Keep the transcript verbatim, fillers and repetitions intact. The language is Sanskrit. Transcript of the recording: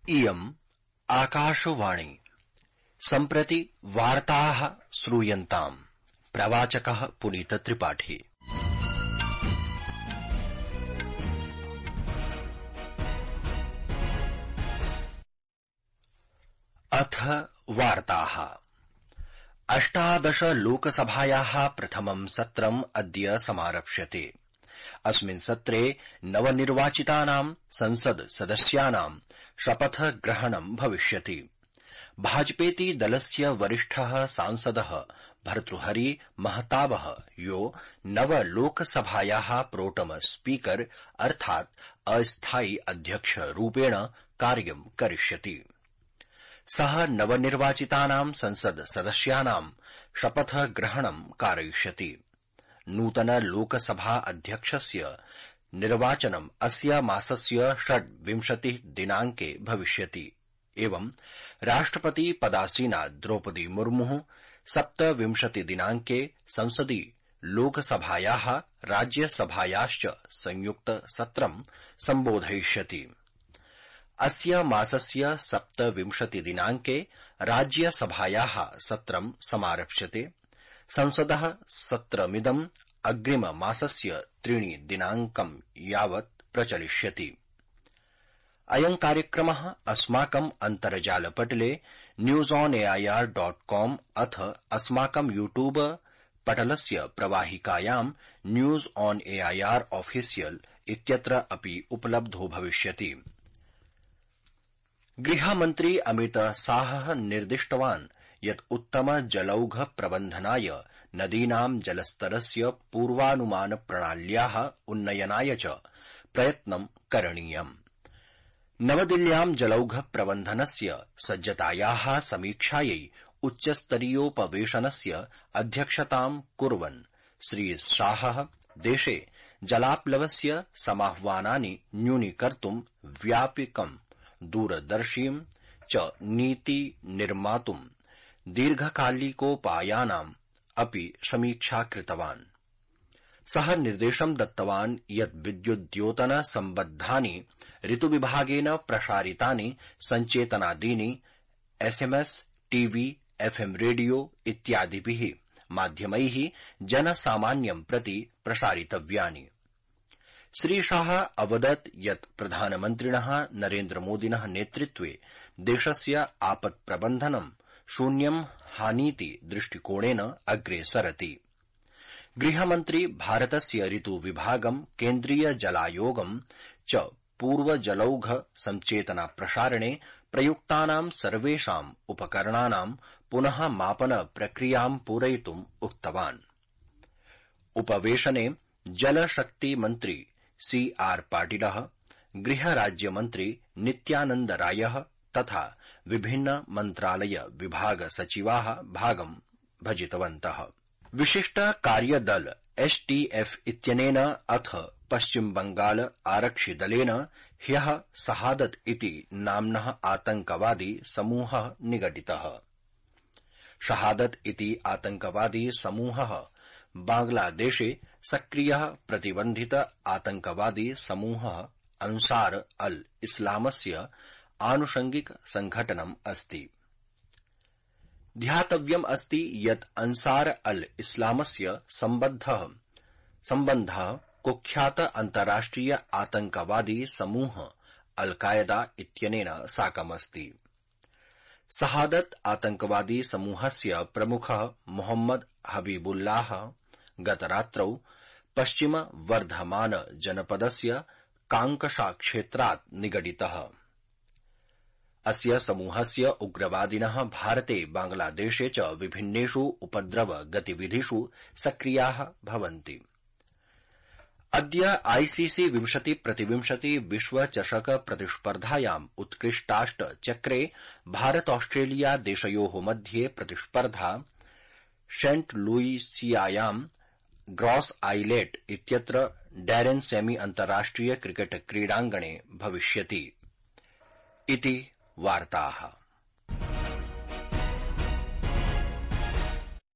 इयम् आकाशवाणी सम्प्रति वार्ताः श्रूयन्ताम्। प्रवाचकः पुनीत त्रिपाठी। अथ वार्ताः। अष्टादश लोकसभायाः प्रथमं सत्रम् अद्य समारप्स्यते। अस्मिन् सत्रे नवनिर्वाचितानां संसद सदस्यानां शपथग्रहणं भविष्यति। भाजपेति दलस्य वरिष्ठः सांसदः भर्तृहरि महताबः यो नवलोकसभायाः प्रोटम स्पीकर अर्थात् अस्थायि अध्यक्षरूपेण कार्यं करिष्यति। सः नवनिर्वाचितानां संसद सदस्यानां शपथग्रहणं कारयिष्यति। नूतन लोकसभा अध्यक्षस्य निर्वाचनम् अस्य मासस्य षड्विंशतिः दिनाङ्के भविष्यति। एवं राष्ट्रपति पदासीना द्रौपदी मुर्मुः सप्तविंशति दिनाङ्के संसदि लोकसभायाः राज्यसभायाश्च संयुक्त सत्रं सम्बोधयिष्यति। अस्य मासस्य सप्तविंशति दिनाङ्के राज्यसभायाः सत्रं समारप्स्यते। संसदः सत्रमिदम् अग्रिम मासस्य त्रीणि दिनाङ्कं यावत् प्रचलिष्यति। अयं कार्यक्रमः अस्माकम् अन्तर्जालपटले news on A I R dot com अथ अस्माकं यूट्यूब पटलस्य प्रवाहिकायां न्यूज ऑन एआईआर ऑफिशियल इत्यत्र अपि उपलब्धो भविष्यति। गृहमन्त्री अमित शाहः निर्दिष्टवान् यत् उत्तम जलौघ प्रबन्धनाय नदीनां जलस्तरस्य पूर्वानुमान प्रणाल्याः उन्नयनाय च प्रयत्नं करणीयम्। नवदिल्ल्यां जलौघ प्रबन्धनस्य सज्जतायाः समीक्षायै उच्चस्तरीयोपवेशनस्य अध्यक्षतां कुर्वन् श्री शाहः देशे जलाप्लवस्य समाह्वानानि न्यूनीकर्तुं व्यापकं दूरदर्शीं च नीति निर्मातुं दीर्घकालिकोपायानाम् अपि समीक्षा कृतवान्। सः निर्देशं दत्तवान् यत् विद्युद्योतन सम्बद्धानि ऋतुविभागेन प्रसारितानि सञ्चेतनादीनि एसएमएस, टीवी, एफएम रेडियो इत्यादिभिः माध्यमैः जनसामान्यं प्रति प्रसारितव्यानि। श्रीशाह अवदत् यत् प्रधानमन्त्रिणः नरेन्द्रमोदिनः नेतृत्वे देशस्य आपत्प्रबन्धनं शून्यं हानीति दृष्टिकोणेन अग्रे सरति। गृहमन्त्री भारतस्य ऋतुविभागं केन्द्रीय जलायोगं च पूर्वजलौघ संचेतना प्रसारणे प्रयुक्तानां सर्वेषाम् उपकरणानां पुनः मापन प्रक्रियां पूरयितुम् उक्तवान्। उपवेशने जलशक्ति मन्त्री सी आर पाटिलः, गृहराज्यमन्त्री नित्यानन्द रायः तथा विभिन्न मन्त्रालय विभाग सचिवाः भागं भजितवन्तः। विशिष्ट कार्यदल एसटीएफ इत्यनेन अथ पश्चिम बंगाल आरक्षिदलेन ह्यः शहादत इति नाम्नः आतंकवादी समूहः निगडितः। शहादत इति आतंकवादी समूहः बांग्लादेशे सक्रियः प्रतिबन्धित आतंकवादी समूहः अंसार अल इस्लामस्य आनुषंगिक संघटनम् अस्ति। ध्यातव्यम् अस्ति यत् अंसार अल इस्लामस्य सम्बद्धः सम्बन्धः कुख्यात अन्ताराष्ट्रिय आतंकवादी समूह अल कायदा इत्यनेन साकमस्ति। शहादत आतंकवादी समूहस्य प्रमुखः मोहम्मद हबीबुल्लाह गतरात्रौ पश्चिम वर्धमान जनपदस्य कांकशा क्षेत्रात् निगडितः। अस्य समूहस्य उग्रवादिनः भारते बांग्लादेशे च विभिन्नेषु उपद्रव गतिविधिषु सक्रियाः भवन्ति। अद्य आईसीसी विंशति प्रतिविंशति विश्वचषक प्रतिस्पर्धायाम् उत्कृष्टाष्ट चक्रे भारत ऑस्ट्रेलिया देशयोः मध्ये प्रतिस्पर्धा सेंट लुइसियायां ग्रॉस आइलेट इत्यत्र डैरेन सेमी अन्ताराष्ट्रिय क्रिकेट क्रीडाङ्गणे भविष्यति इति वार्ताः।